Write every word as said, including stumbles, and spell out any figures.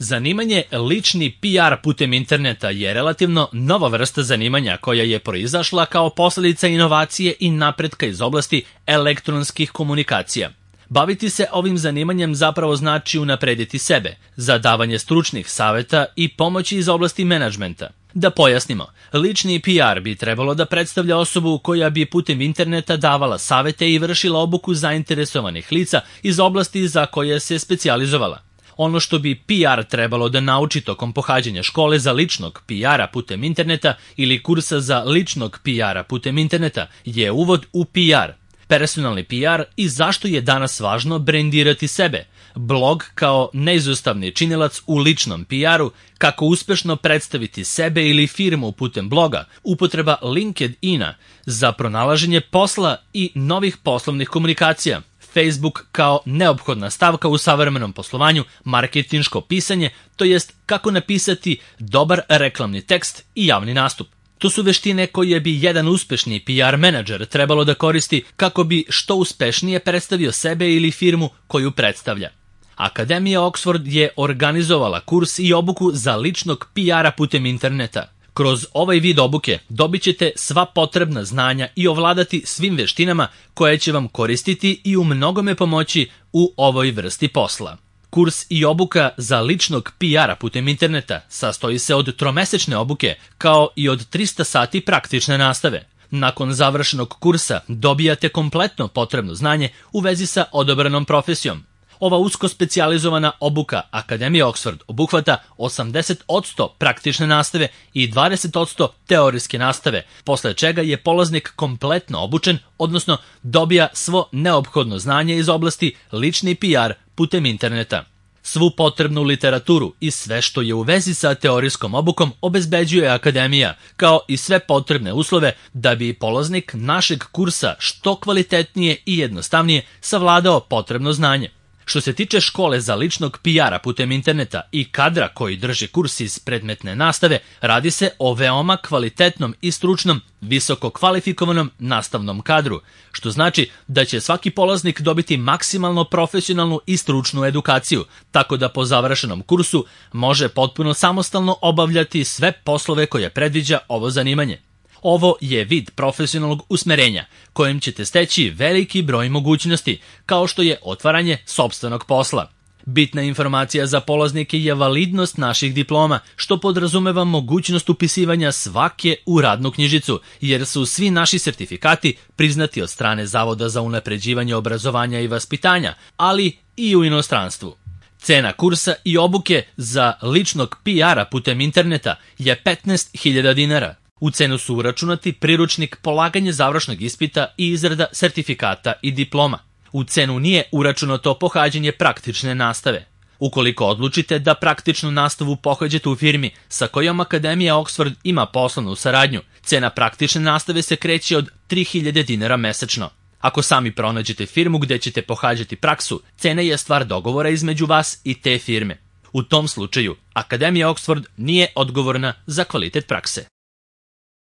Zanimanje lični P R putem interneta je relativno nova vrsta zanimanja koja je proizašla kao posljedica inovacije i napretka iz oblasti elektronskih komunikacija. Baviti se ovim zanimanjem zapravo znači unaprediti sebe, za davanje stručnih saveta i pomoći iz oblasti menadžmenta. Da pojasnimo, lični P R bi trebalo da predstavlja osobu koja bi putem interneta davala savete i vršila obuku zainteresovanih lica iz oblasti za koje se specijalizovala. Ono što bi P R trebalo da nauči tokom pohađanja škole za ličnog P R-a putem interneta ili kursa za ličnog P R-a putem interneta je uvod u P R, personalni P R i zašto je danas važno brendirati sebe, blog kao neizostavni činilac u ličnom P R-u, kako uspešno predstaviti sebe ili firmu putem bloga, upotreba LinkedIn-a za pronalaženje posla i novih poslovnih komunikacija, Facebook kao neophodna stavka u savremenom poslovanju, marketinško pisanje, to jest kako napisati dobar reklamni tekst i javni nastup. To su veštine koje bi jedan uspešni P R menadžer trebalo da koristi kako bi što uspešnije predstavio sebe ili firmu koju predstavlja. Akademija Oxford je organizovala kurs i obuku za ličnog P R-a putem interneta. Kroz ovaj vid obuke dobit ćete sva potrebna znanja i ovladati svim veštinama koje će vam koristiti i u mnogome pomoći u ovoj vrsti posla. Kurs i obuka za ličnog P R-a putem interneta sastoji se od tromesečne obuke kao i od trista sati praktične nastave. Nakon završenog kursa dobijate kompletno potrebno znanje u vezi sa odabranom profesijom. Ova usko specijalizovana obuka Akademije Oxford obuhvata osamdeset posto praktične nastave i dvadeset posto teorijske nastave, posle čega je polaznik kompletno obučen, odnosno dobija svo neophodno znanje iz oblasti lični P R putem interneta. Svu potrebnu literaturu i sve što je u vezi sa teorijskom obukom obezbeđuje Akademija, kao i sve potrebne uslove da bi polaznik našeg kursa što kvalitetnije i jednostavnije savladao potrebno znanje. Što se tiče škole za ličnog P R-a putem interneta i kadra koji drži kurs iz predmetne nastave, radi se o veoma kvalitetnom i stručnom, visoko kvalifikovanom nastavnom kadru, što znači da će svaki polaznik dobiti maksimalno profesionalnu i stručnu edukaciju, tako da po završenom kursu može potpuno samostalno obavljati sve poslove koje predviđa ovo zanimanje. Ovo je vid profesionalnog usmerenja, kojim ćete steći veliki broj mogućnosti, kao što je otvaranje sopstvenog posla. Bitna informacija za polaznike je validnost naših diploma, što podrazumeva mogućnost upisivanja svake u radnu knjižicu, jer su svi naši sertifikati priznati od strane Zavoda za unapređivanje obrazovanja i vaspitanja, ali i u inostranstvu. Cena kursa i obuke za ličnog P R-a putem interneta je petnaest hiljada dinara. U cenu su uračunati priručnik, polaganje završnog ispita i izrada sertifikata i diploma. U cenu nije uračunato pohađanje praktične nastave. Ukoliko odlučite da praktičnu nastavu pohađate u firmi sa kojom Akademija Oxford ima poslovnu saradnju, cena praktične nastave se kreće od tri hiljade dinara mesečno. Ako sami pronađete firmu gde ćete pohađati praksu, cena je stvar dogovora između vas i te firme. U tom slučaju, Akademija Oxford nije odgovorna za kvalitet prakse.